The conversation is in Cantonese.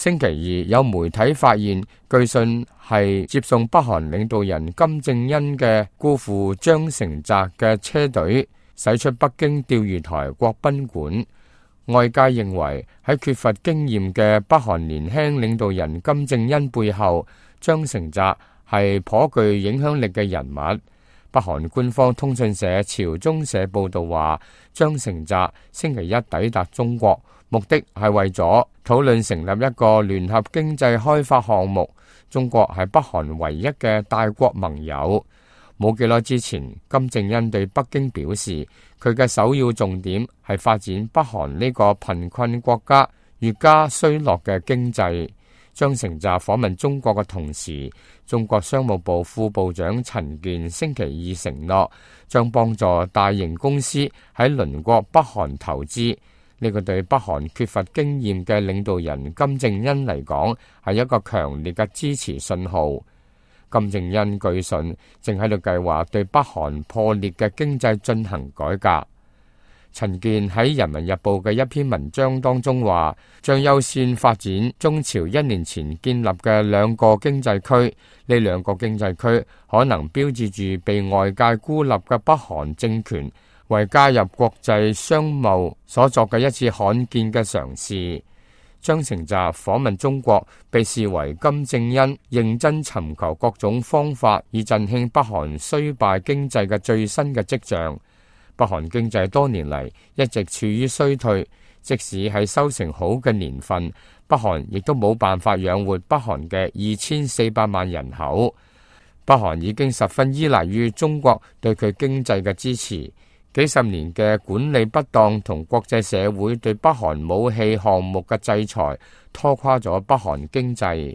星期二有媒體發現，據信係接送北韓領導人金正恩嘅姑父張成澤嘅車隊駛出北京釣魚台國賓館。外界認為喺缺乏經驗嘅北韓年輕領導人金正恩背後，張成澤係頗具影響力嘅人物。北韓官方通訊社朝中社報道話，張成澤星期一抵達中國，目的係為咗討論成立一個聯合經濟開發項目。中國係北韓唯一嘅大國盟友。冇幾耐之前，金正恩對北京表示，佢嘅首要重點係發展北韓呢個貧困國家越加衰落嘅經濟。張成澤訪問中國嘅同時，中國商務部副部長陳健星期二承諾，將幫助大型公司喺鄰國北韓投資。呢個對北韓缺乏經驗嘅領導人金正恩嚟講，係一個強烈嘅支持信號。金正恩據信正喺度計劃對北韓破裂嘅經濟進行改革。陳健喺《人民日報》嘅一篇文章當中話，將優先發展中朝1年前建立嘅2個經濟區，呢2個經濟區可能標誌住被外界孤立嘅北韓政權為加入國際商貿所作嘅一次罕見嘅嘗試。張成澤訪問中國，被視為金正恩認真尋求各種方法以振興北韓衰敗經濟嘅最新嘅跡象。北韓經濟多年嚟一直處於衰退，即使係收成好嘅年份，北韓亦都冇辦法養活北韓嘅2400萬人口。北韓已經十分依賴於中國對佢經濟嘅支持。幾十年嘅管理不當同國際社會對北韓武器項目嘅制裁，拖垮咗北韓經濟。